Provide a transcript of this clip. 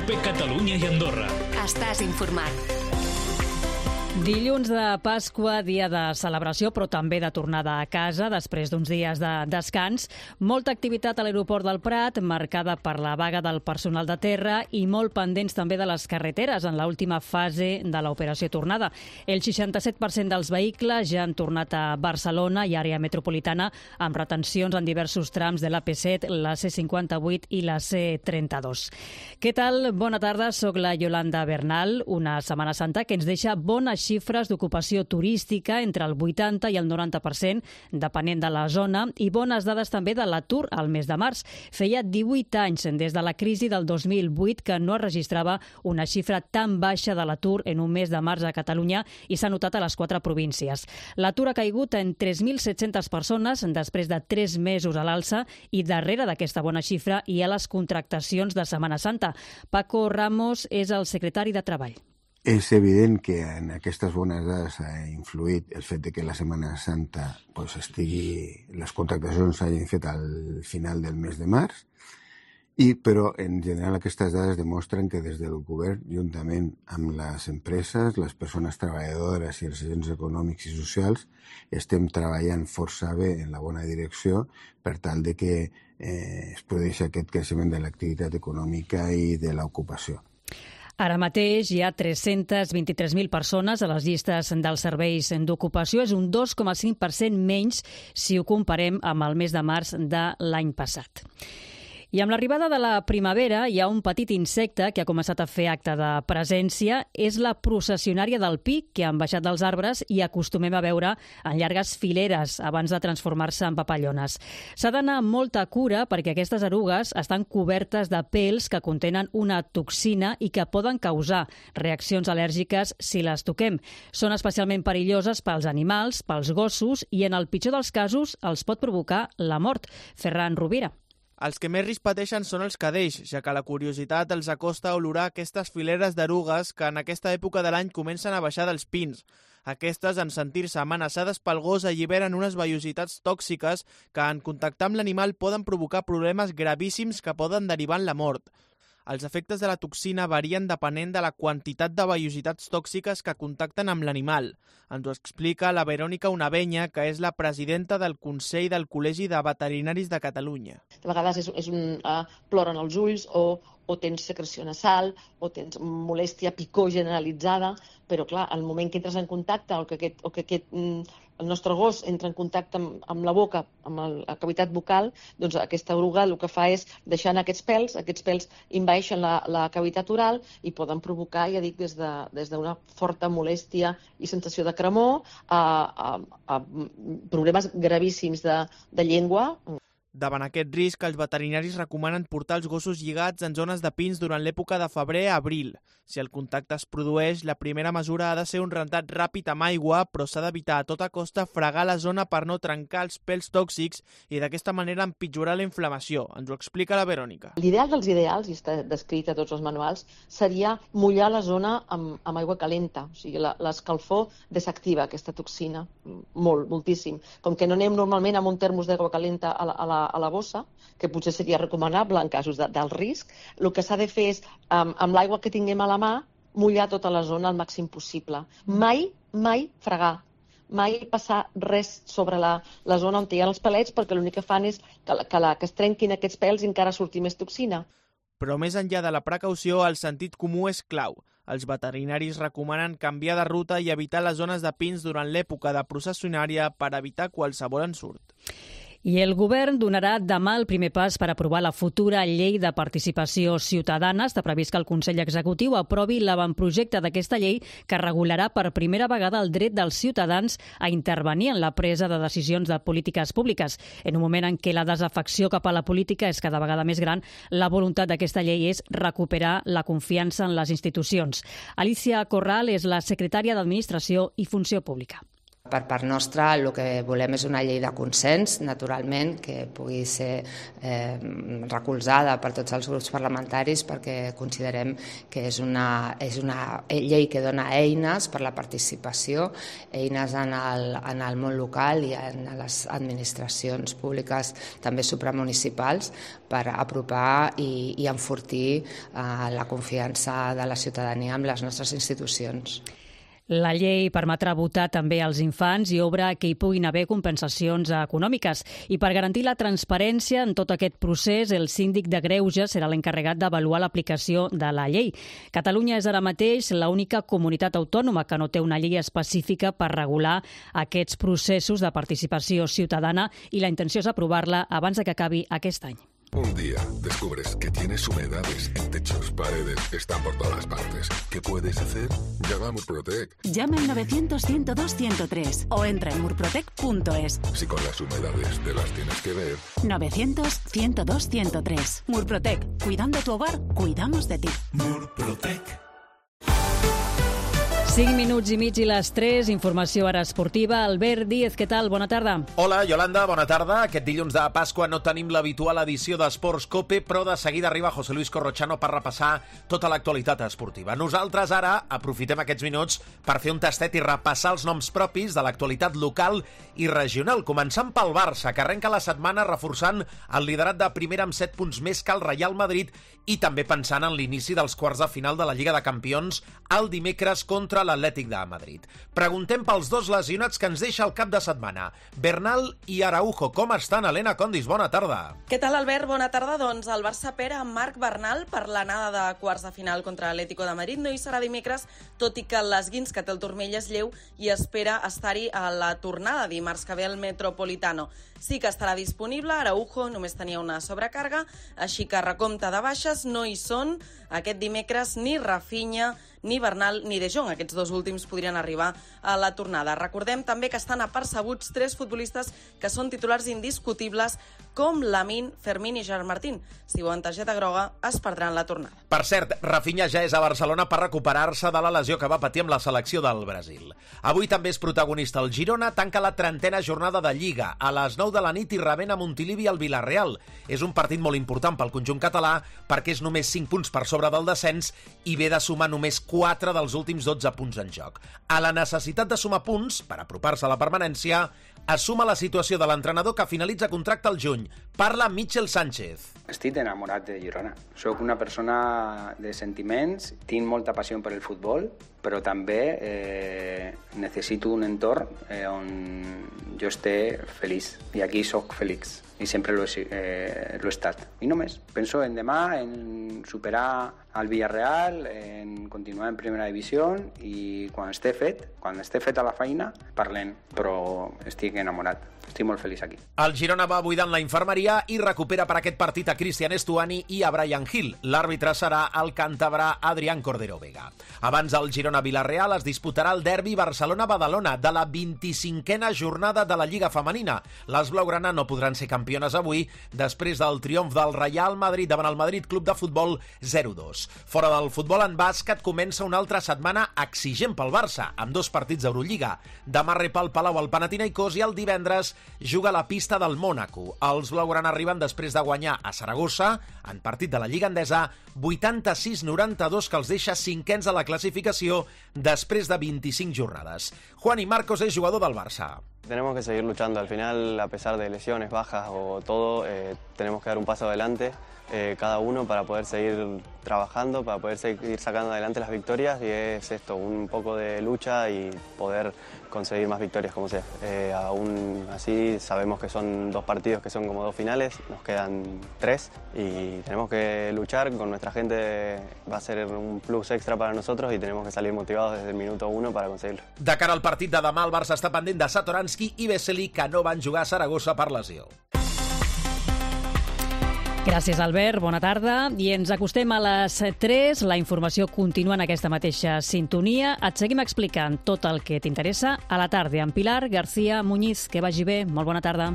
COPE Catalunya i Andorra. Estàs informat. Dilluns de Pasqua, dia de celebració, però també de tornada a casa després d'uns dies de descans. Molta activitat a l'aeroport del Prat, marcada per la vaga del personal de terra i molt pendents també de les carreteres en l'última fase de l'operació tornada. El 67% dels vehicles ja han tornat a Barcelona i àrea metropolitana amb retencions en diversos trams de l'AP7, la C58 i la C32. Què tal? Bona tarda, soc la Yolanda Bernal. Una Setmana Santa que ens deixa bones xifres d'ocupació turística entre el 80 i el 90%, depenent de la zona, i bones dades també de l'atur al mes de març. Feia 18 anys des de la crisi del 2008 que no es registrava una xifra tan baixa de l'atur en un mes de març a Catalunya i s'ha notat a les 4 províncies. L'atur ha caigut en 3.700 persones després de 3 mesos a l'alça i darrere d'aquesta bona xifra hi ha les contractacions de Setmana Santa. Paco Ramos és el secretari de Treball. És evident que en aquestes bones dades ha influït el fet de que la Setmana Santa les contractacions s'hagin fet al final del mes de març, però en general aquestes dades demostren que des del govern, juntament amb les empreses, les persones treballadores i els agents econòmics i socials, estem treballant força bé en la bona direcció per tal de que es produeixi aquest creixement de l'activitat econòmica i de l'ocupació. Ara mateix hi ha 323.000 persones a les llistes dels serveis d'ocupació. És un 2,5% menys si ho comparem amb el mes de març de l'any passat. I amb l'arribada de la primavera hi ha un petit insecte que ha començat a fer acte de presència. És la processionària del pi, que han baixat dels arbres i acostumem a veure en llargues fileres abans de transformar-se en papallones. S'ha d'anar amb molta cura perquè aquestes erugues estan cobertes de pèls que contenen una toxina i que poden causar reaccions al·lèrgiques si les toquem. Són especialment perilloses pels animals, pels gossos i en el pitjor dels casos els pot provocar la mort. Ferran Rovira. Els que més risc pateixen són els cadells, ja que la curiositat els acosta a olorar aquestes fileres d'erugues que en aquesta època de l'any comencen a baixar dels pins. Aquestes, en sentir-se amenaçades pel gos, alliberen unes vellositats tòxiques que, en contactar amb l'animal, poden provocar problemes gravíssims que poden derivar en la mort. Els efectes de la toxina varien depenent de la quantitat de vellositats tòxiques que contacten amb l'animal. Ens ho explica la Verònica Unavenya, que és la presidenta del Consell del Col·legi de Veterinaris de Catalunya. De vegades ploren els ulls o tens secreció nasal o tens molèstia, picor generalitzada, però clar, al moment que entres en contacte o que el nostre gos entra en contacte amb la boca, amb la cavitat bucal, doncs aquesta eruga el que fa és deixar aquests pèls envaeixen la cavitat oral i poden provocar, ja dic, des d'una forta molèstia i sensació de cremor a problemes gravíssims de llengua. Davant aquest risc, els veterinaris recomanen portar els gossos lligats en zones de pins durant l'època de febrer a abril. Si el contacte es produeix, la primera mesura ha de ser un rentat ràpid amb aigua, però s'ha d'evitar a tota costa fregar la zona per no trencar els pèls tòxics i d'aquesta manera empitjorar la inflamació. Ens ho explica la Verònica. L'ideal dels ideals, i està descrit a tots els manuals, seria mullar la zona amb aigua calenta. O sigui, l'escalfor desactiva aquesta toxina, moltíssim. Com que no anem normalment amb un termos d'aigua calenta a la bossa, que potser seria recomanable en casos d'alt risc, el que s'ha de fer és, amb l'aigua que tinguem a la mà, mullar tota la zona al màxim possible. Mai fregar, mai passar res sobre la zona on hi ha els pelets, perquè l'únic que fan és que es trenquin aquests pèls i encara surti més toxina. Però més enllà de la precaució, el sentit comú és clau. Els veterinaris recomanen canviar de ruta i evitar les zones de pins durant l'època de processionària per evitar qualsevol ensurt. I el govern donarà demà el primer pas per aprovar la futura llei de participació ciutadana. Està previst que el Consell Executiu aprovi l'avantprojecte d'aquesta llei que regularà per primera vegada el dret dels ciutadans a intervenir en la presa de decisions de polítiques públiques. En un moment en què la desafecció cap a la política és cada vegada més gran, la voluntat d'aquesta llei és recuperar la confiança en les institucions. Alicia Corral és la secretària d'Administració i Funció Pública. Per part nostra, el que volem és una llei de consens, naturalment, que pugui ser recolzada per tots els grups parlamentaris, perquè considerem que és una llei que dona eines per la participació, eines en el món local i en les administracions públiques, també supramunicipals, per apropar i enfortir la confiança de la ciutadania amb les nostres institucions. La llei permetrà votar també als infants i obre que hi puguin haver compensacions econòmiques. I per garantir la transparència en tot aquest procés, el síndic de Greuges serà l'encarregat d'avaluar l'aplicació de la llei. Catalunya és ara mateix l'única comunitat autònoma que no té una llei específica per regular aquests processos de participació ciutadana i la intenció és aprovar-la abans que acabi aquest any. Un día descubres que tienes humedades en techos, paredes, están por todas partes. ¿Qué puedes hacer? Llama a Murprotec. Llama al 900-102-103 o entra en murprotec.es. Si con las humedades te las tienes que ver. 900-102-103. Murprotec. Cuidando tu hogar, cuidamos de ti. Murprotec. 5 minuts i mig i les 3, informació ara esportiva. Albert Díez, què tal? Bona tarda. Hola, Yolanda, bona tarda. Aquest dilluns de Pasqua no tenim l'habitual edició d'Esports Cope, però de seguida arriba José Luis Corrochano per repassar tota l'actualitat esportiva. Nosaltres ara aprofitem aquests minuts per fer un tastet i repassar els noms propis de l'actualitat local i regional, començant pel Barça, que arrenca la setmana reforçant el liderat de primera amb 7 punts més que el Real Madrid i també pensant en l'inici dels quarts de final de la Lliga de Campions el dimecres contra l'Atlètic de Madrid. Preguntem pels dos lesionats que ens deixa el cap de setmana. Bernal i Araujo, com estan? Helena Condis, bona tarda. Què tal, Albert? Bona tarda. Doncs el Barça pera amb Marc Bernal per l'anada de quarts de final contra l'Atlético de Madrid. No hi serà dimecres, tot i que l'esguins que té el turmell és lleu i espera estar-hi a la tornada dimarts que ve al Metropolitano. Sí que estarà disponible. Araujo només tenia una sobrecàrrega, així que recompte de baixes no hi són aquest dimecres ni Rafinha, ni Bernal ni De Jong. Aquests dos últims podrien arribar a la tornada. Recordem també que estan apercebuts 3 futbolistes que són titulars indiscutibles com Lamine, Fermín i Gerard Martín. Si veuen targeta groga, es perdran la tornada. Per cert, Rafinha ja és a Barcelona per recuperar-se de la lesió que va patir amb la selecció del Brasil. Avui també és protagonista el Girona, tanca la 30a jornada de Lliga. A les 9 de la nit hi rebent a Montilivi al Villarreal. És un partit molt important pel conjunt català perquè és només 5 punts per sobre del descens i ve de sumar només 4 dels últims 12 punts en joc. A la necessitat de sumar punts per apropar-se a la permanència, es suma la situació de l'entrenador que finalitza contracte al juny. Parla Michel Sánchez. Estic enamorat de Girona. Soc una persona de sentiments, tinc molta passió per el futbol, però també necessito un entorn on jo esté feliç. I aquí soc feliç. I sempre l'he estat. I només. Penso en demà, en superar el Villarreal, en continuar en primera divisió i quan esté fet a la feina, parlem. Però estic enamorat. Estic molt feliç aquí. El Girona va buidant la infermeria i recupera per aquest partit a Cristian Estuani i a Brian Hill. L'àrbitre serà el càntabre Adrián Cordero Vega. Abans del Girona-Villarreal es disputarà el derbi Barcelona-Badalona de la 25a jornada de la Lliga Femenina. Les blaugrana no podran ser campiones avui després del triomf del Real Madrid davant el Madrid Club de Futbol 0-2. Fora del futbol en bàsquet comença una altra setmana exigent pel Barça, amb 2 partits d'Eurolliga. Demà rep al Palau el Panathinaikos i el divendres juga a la pista del Mònaco. Els blaugrana arriben després de guanyar a Saragossa, en partit de la Lliga Endesa, 86-92, que els deixa 5ens a la clasificació després de 25 jornades. Juani Marcos és jugador del Barça. Tenemos que seguir luchando. Al final, a pesar de lesiones, bajas o todo, tenemos que dar un paso adelante cada uno para poder seguir trabajando, para poder seguir sacando adelante las victorias, y es esto, un poco de lucha y poder conseguir más victorias como sea. Aún así sabemos que son 2 partidos que son como 2 finales, nos quedan 3 y tenemos que luchar con nuestra gente. Va a ser un plus extra para nosotros y tenemos que salir motivados desde el minuto 1 para conseguirlo. De cara al partit de demà, el Barça està pendent de Satoransky i Vesely, que no van jugar a Saragossa per lesió. Gràcies, Albert. Bona tarda. I ens acostem a les 3. La informació continua en aquesta mateixa sintonia. Et seguim explicant tot el que t'interessa a la tarda amb Pilar García Muñiz. Que vagi bé. Molt bona tarda.